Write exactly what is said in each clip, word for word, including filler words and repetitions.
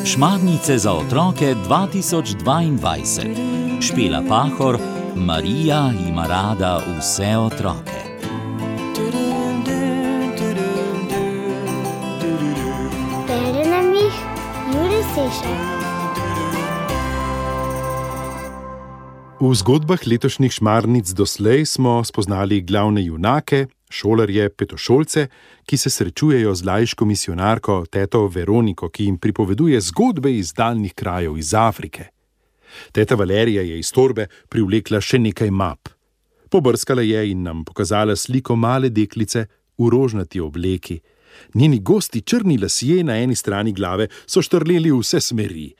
Šmarnice za otroke dva tisoč dvaindvajset. Špela Pahor, Marija ima rada vse otroke. Bere nam jih Jure Sešek. V zgodbah letošnjih Šmarnic doslej smo spoznali glavne junake, šolarje, petošolce, ki se srečujejo z laiško misionarko teto Veroniko, ki jim pripoveduje zgodbe iz daljnih krajev iz Afrike. Teta Valerija je iz torbe privlekla še nekaj map. Pobrskala je in nam pokazala sliko male deklice v rožnati obleki. Njeni gosti črni lasje na eni strani glave so štrleli v vse smeri,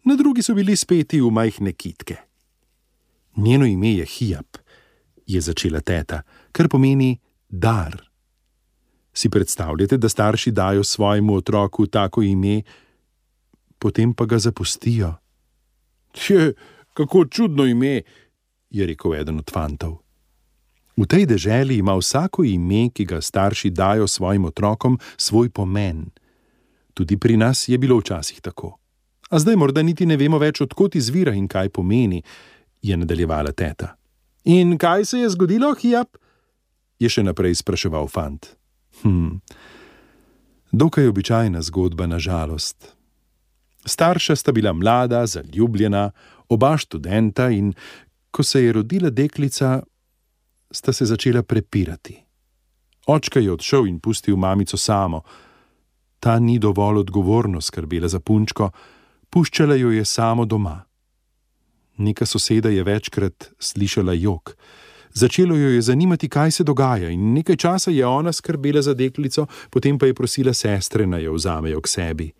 na drugi so bili speti v majhne kitke. Njeno ime je Hijab, je začela teta, kar pomeni dar. Si predstavljate, da starši dajo svojemu otroku tako ime, potem pa ga zapustijo? Tje, kako čudno ime, je rekel eden od fantov. V tej deželi ima vsako ime, ki ga starši dajo svojim otrokom, svoj pomen. Tudi pri nas je bilo včasih tako. A zdaj morda niti ne vemo več, odkot izvira in kaj pomeni, je nadaljevala teta. In kaj se je zgodilo, Hijab? Je še naprej spraševal fant. Hm, dokaj običajna zgodba, na žalost. Starša sta bila mlada, zaljubljena, oba študenta in ko se je rodila deklica, sta se začela prepirati. Očka je odšel in pustil mamico samo. Ta ni dovolj odgovorno skrbela za punčko, puščala jo je samo doma. Neka soseda je večkrat slišala jok. Začelo jo je zanimati, kaj se dogaja, in nekaj časa je ona skrbela za deklico, potem pa je prosila sestre, naj jo vzamejo k sebi.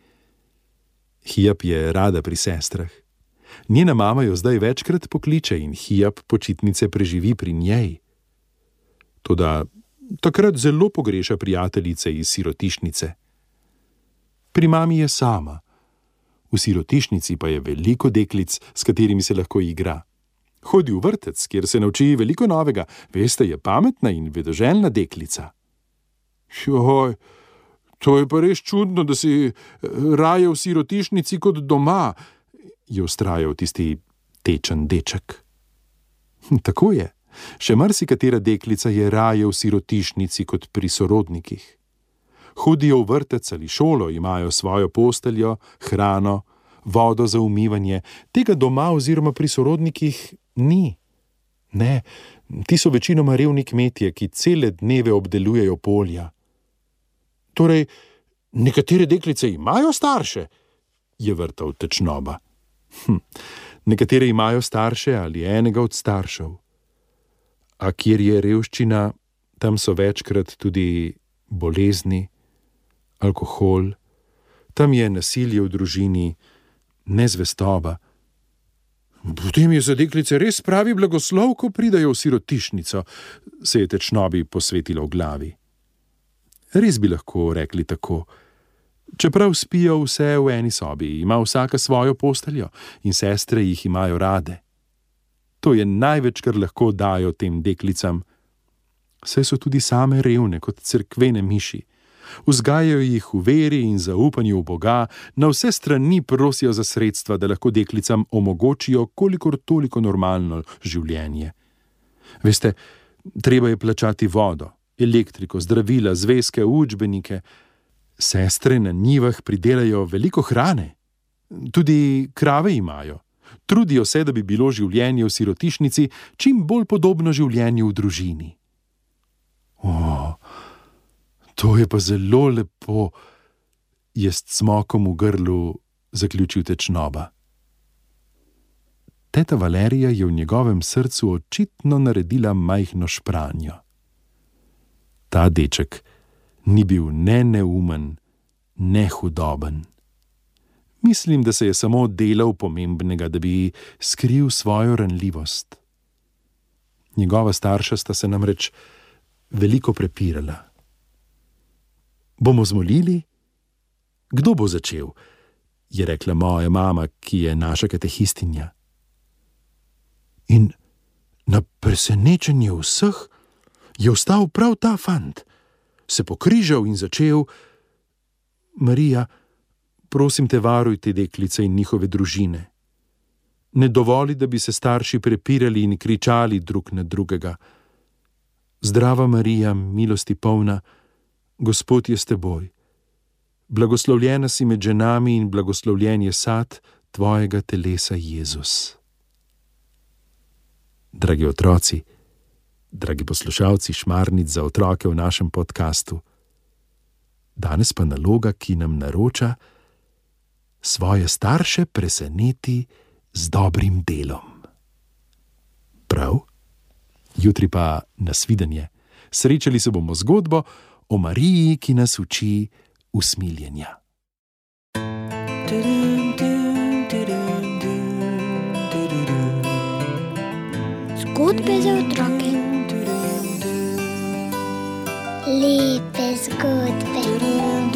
Hijab je rada pri sestrah. Njena mama jo zdaj večkrat pokliče in Hijab počitnice preživi pri njej. Toda takrat zelo pogreša prijateljice iz sirotišnice. Pri mami je sama. V sirotišnici pa je veliko deklic, s katerimi se lahko igra. Hodi v vrtec, kjer se nauči veliko novega, veste, je pametna in vedoželjna deklica. Joj, to je pa res čudno, da si raje v sirotišnici kot doma, je vztrajal tisti tečen deček. Tako je, še marsikatera deklica je raje v sirotišnici kot pri sorodnikih. Hodijo v vrtec ali šolo, imajo svojo posteljo, hrano, vodo za umivanje. Tega doma oziroma pri sorodnikih ni. Ne, ti so večinoma revni kmetje, ki cele dneve obdelujejo polja. Torej, nekatere deklice imajo starše, je vrtal Tečnoba. Hm, nekatere imajo starše ali enega od staršev. A kjer je revščina, tam so večkrat tudi bolezni, alkohol, tam je nasilje v družini, nezvestoba. Potem je za deklice res pravi blagoslov, ko pridajo v sirotišnico, se je Tečnobi posvetilo v glavi. Res bi lahko rekli tako. Čeprav spijo vse v eni sobi, ima vsaka svojo posteljo in sestre jih imajo rade. To je največ, kar lahko dajo tem deklicam. Saj so tudi same revne kot cerkvene miši. Vzgajajo jih v veri in zaupanju v Boga, na vse strani prosijo za sredstva, da lahko deklicam omogočijo kolikor toliko normalno življenje. Veste, treba je plačati vodo, elektriko, zdravila, zvezke, učbenike. Sestre na njivah pridelajo veliko hrane. Tudi krave imajo. Trudijo se, da bi bilo življenje v sirotišnici čim bolj podobno življenju v družini. O, to je pa zelo lepo, je s cmokom v grlu zaključil Tečnoba. Teta Valerija je v njegovem srcu očitno naredila majhno špranjo. Ta deček ni bil ne neumen, ne hudoben. Mislim, da se je samo delal pomembnega, da bi skril svojo ranljivost. Njegova starša sta se namreč veliko prepirala. Bomo zmolili? Kdo bo začel? Je rekla moja mama, ki je naša katehistinja. In na presenečenje vseh je vstal prav ta fant, se pokrižal in začel: Marija, prosim te, varuj te deklice in njihove družine. Ne dovoli, da bi se starši prepirali in kričali drug na drugega. Zdrava Marija, milosti polna, Gospod je s teboj. Blagoslovljena si med ženami in blagoslovljen je sad tvojega telesa, Jezus. Dragi otroci, dragi poslušalci Šmarnic za otroke v našem podkastu, danes pa naloga, ki nam naroča: svoje starše preseneti z dobrim delom. Prav? Jutri pa nasvidenje. Srečali se bomo z zgodbo o Mariji, ki nas uči usmiljenja. Zgodbe za otroke. Lepe zgodbe.